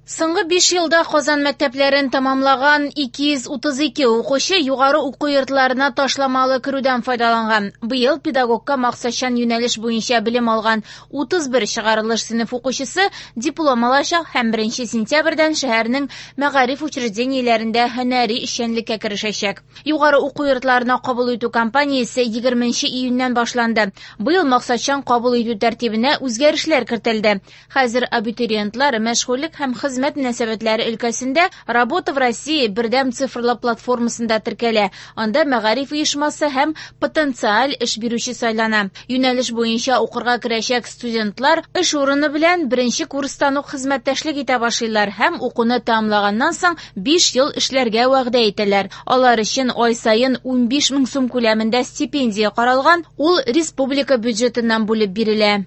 Соңгы 5 елда Казан мәктәпләрен тәмамлаган 232 укучы югары уку йортларына ташламалы керүдән файдаланган. Быел педагогка максатчан юнәлеш буенча белем алган 31 чыгарылыш сыйныф укучысы диплом алачак һәм 1 сентябрьдән шәһәрнең мәгариф учреждениеләрендә һөнәри эшчәнлеккә керешәчәк. Югары уку йортларына кабул итү кампаниясе 20 июньнән башланды. Быел максатчан кабул итү тәртибенә үзгәрешләр кертелде. Хәзер абитуриентлар мәшгульлек һәм хезмәт мөнәсәбәтләре өлкәсендә «Работа в России» бердәм цифрлы платформасында теркәлә. Анда мәгариф оешмасы һәм потенциаль эш бирүче сайлана. Юнәлеш буенча укырга керәчәк студентлар эш урыны белән беренче курстан ук хезмәттәшлек итә башлыйлар һәм укуны тәмамлаганнан соң 5 ел эшләргә вәгъдә итәләр. Алар өчен ай саен 15 мең сум күләмендә стипендия каралган, ул республика бюджетыннан бүлеп бирелә.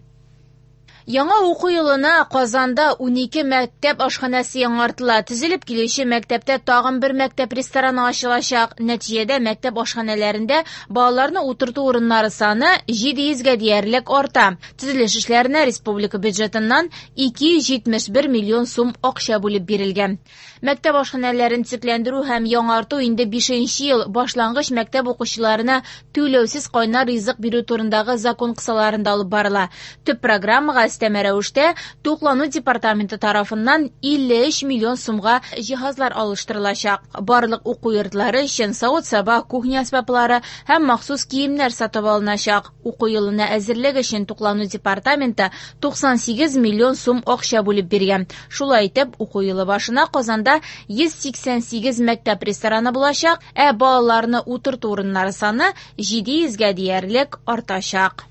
Яңа уку елына Казанда 12 мәктәп ашханәсе яңартыла. Төзелеп килүче мәктәптә тагын бер мәктәп рестораны ачылачак. Нәтиҗәдә мәктәп ашханәләрендә балаларны утырту урыннары саны 700гә диярлек арта. Төзелеш эшләренә республика бюджетыннан 271 миллион сум акча бүлеп бирелгән. Мәктәп ашханәләрен төзекләндерү һәм яңарту инде 5 ел башлангыч мәктәп укучыларына түләүсез кайнар ризык бирү турындагы закон кысаларында алып барыла. Төп программага өстәмә рәвештә туклану департаменты тарафыннан 53 миллион сумга җиһазлар алыштырылачак. Барлык уку йортлары өчен савыт-саба, кухня әсбаплары һәм махсус киемнәр сатып алыначак. Уку елына әзерлек өчен туклану департаменты 98 миллион сум акча бүлеп биргән. Шулай итеп, уку елы башына Казанда 188 мәктәп рестораны булачак, ә балаларны утырту урыннары саны 700гә диярлек артачак.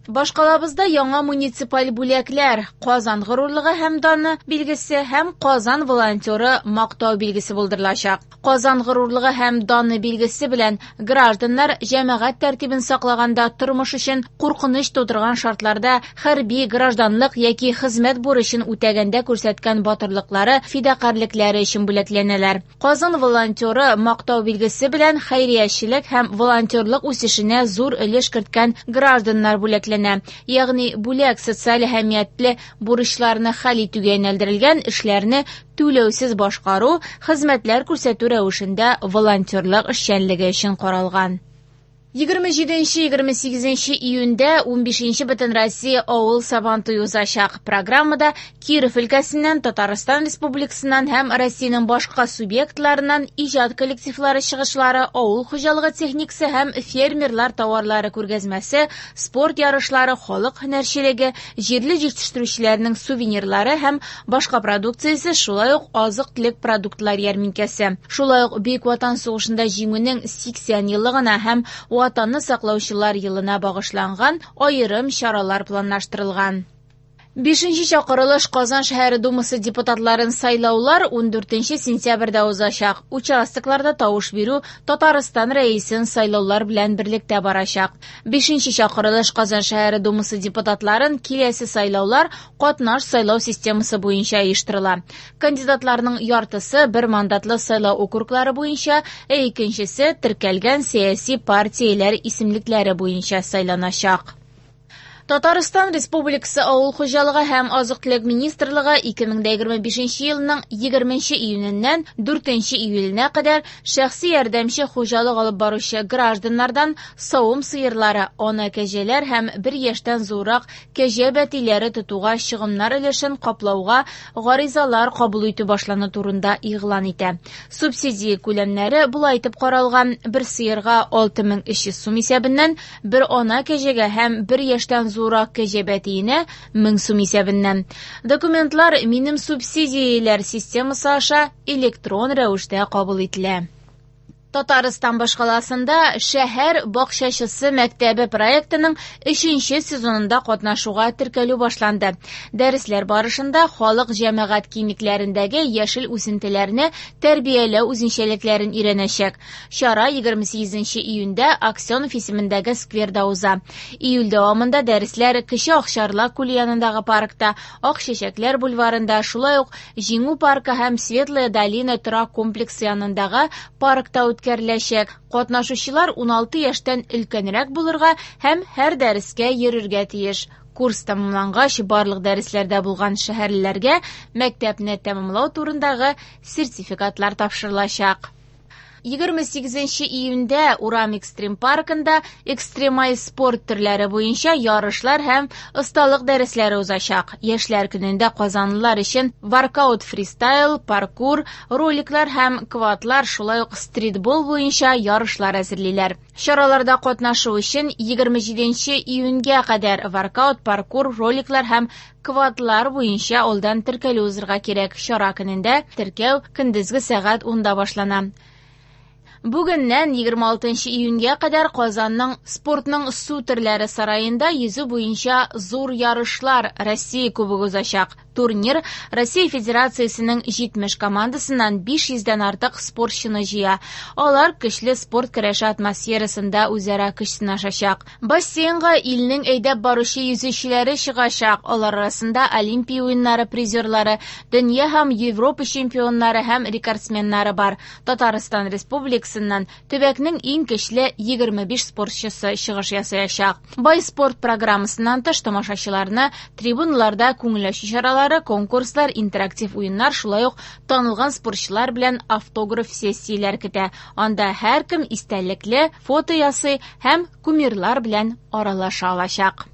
Башкалабызда яңа муниципаль бүләкләр Казан горурлыгы һәм даны билгесе һәм Казан волонтеры мактау билгесе булдырылачак. Казан горурлыгы һәм даны билгесе белән гражданнар җәмәгать тәртибен саклаганда тормыш өчен куркыныч тудырган шартларда хәрби, гражданлык яки хезмәт бурычын үтәгәндә күрсәткән батырлыклары, фидакарьлекләре өчен бүләкләнәләр. Казан волонтеры мактау билгесе белән хәйриячелек һәм волонтерлык үсешенә зур өлеш керткән гражданнар бүләкләнә. Ягъни бүләк социаль әһәмиятле бурычларны хәл итүгә юнәлдерелгән эшләрне түләүсез башкару, хезмәтләр күрсәтү рәвешендә волонтерлык эшчәнлеге өчен каралган. 27-28 июньдә 15-нче Бөтенроссия авыл Сабантуе узачак. Программада Киров өлкәсеннән, Татарстан Республикасыннан һәм Россиянең башка субъектларыннан иҗат коллективлары чыгышлары, авыл хуҗалыгы техникасы һәм фермерлар товарлары күргәзмәсе, спорт ярышлары, халык һөнәрчелеге, җирле җитештерүчеләрнең сувенирлары һәм башка продукциясе, шулай ук азык-төлек продуктлар ярминкәсе. Шулай ук Бөек Ватан сугышында җиңүнең 80 еллыгына һәм Ватанны саклаучылар елына багышланган аерым чаралар планлаштырылган. 5-нче чакырылыш Казан шәһәре Думасы депутатларын сайлаулар 14 сентябрьдә узачак. Участокларда тавыш бирү Татарстан рәисен сайлаулар белән берлектә барачак. 5-нче чакырылыш Казан шәһәре Думасы депутатларын киләсе сайлаулар катнаш сайлау системасы буенча оештырыла. Кандидатларның яртысы бер мандатлы сайлау округлары буенча, ә икенчесе теркәлгән сәяси партияләр исемлекләре буенча сайланачак. Татарстан Республикасы Авыл хуҗалыгы һәм азык-төлек министрлыгы 2025 елның 20 июненнән 4 июленә кадәр шәхси ярдәмче хуҗалык алып баручы гражданнардан савым сыерлары, ана кәҗәләр һәм бер яшьтән зуррак кәҗә бәтиләре тотуга чыгымнар өлешен каплауга гаризалар кабул итү башлану турында игълан итә. Субсидия күләмнәре болай итеп каралган: бер сыерга 6300 сум исәбеннән, бер ана кәҗәгә һәм бер яшьтән зуррак кәҗә бәтиенә 1000 сум исәбеннән. Документлар «Минем субсидияләр» системасы аша электрон рәвештә кабул ителә. Татарстан башкаласында шәһәр бакчачысы мәктәбе проектының 3-нче сезонында катнашуга теркәлү башланды. Дәресләр барышында халык җәмәгать киңлекләрендәге яшел үсентеләрне тәрбияләү үзенчәлекләрен өйрәнәчәк. Чара 28 июньдә Аксенов исемендәге скверда уза. Июль дәвамында дәресләр Кече Акчарлак күле янындагы паркта, Ак чәчәкләр бульварында, шулай ук Җиңү паркы һәм Светлая долина торак комплексы янындагы паркта үткәреләчәк. Катнашучылар 16 яшьтән өлкәнрәк булырга һәм һәр дәрескә йөрергә тиеш. Курс тәмамлангач, барлык дәресләрдә булган шәһәрлеләргә мәктәпне тәмамлау турындагы сертификатлар тапшырылачак. 28 июньдә Урам экстрим паркында экстремаль спорт төрләре буенча ярышлар һәм осталык дәресләре узачак. Яшьләр көнендә казанлылар өчен воркаут фристайл, паркур, роликлар һәм квадлар, шулай ук стритбол буенча ярышлар әзерлиләр. Чараларда катнашу өчен 27 июньгә кадәр воркаут, паркур, роликлар һәм квадлар буенча алдан теркәлү узырга кирәк. Чара көнендә теркәү көндезге сәгать 10-да башлана. Бүгеннән 26 июньгә кадәр Казанның спортның су төрләре сараенда йөзү буенча зур ярышлар Россия кубогы узачак. Турнир Россия Федерациясенең 70 командасыннан 500дән артык спортчыны җыя. Алар көчле спорт көрәше атмосферасында үзара көч сынашачак. Бассейнга илнең әйдәп баручы йөзүчеләре чыгачак. Алар арасында Олимпия уеннары призерлары, дөнья һәм Европа чемпионнары һәм рекордсменнары бар. Татарстан Республикасыннан төбәкнең иң көчле 25 спортчысы чыгыш ясаячак. Бай спорт программасыннан тыш тамашачыларны трибуналарда күңел ачу чаралары, конкурслар, интерактив уеннар, шулай ук танылган спортчылар белән автограф сессияләр көтә. Анда һәркем истәлекле фото ясый һәм кумирлар белән аралаша алачак.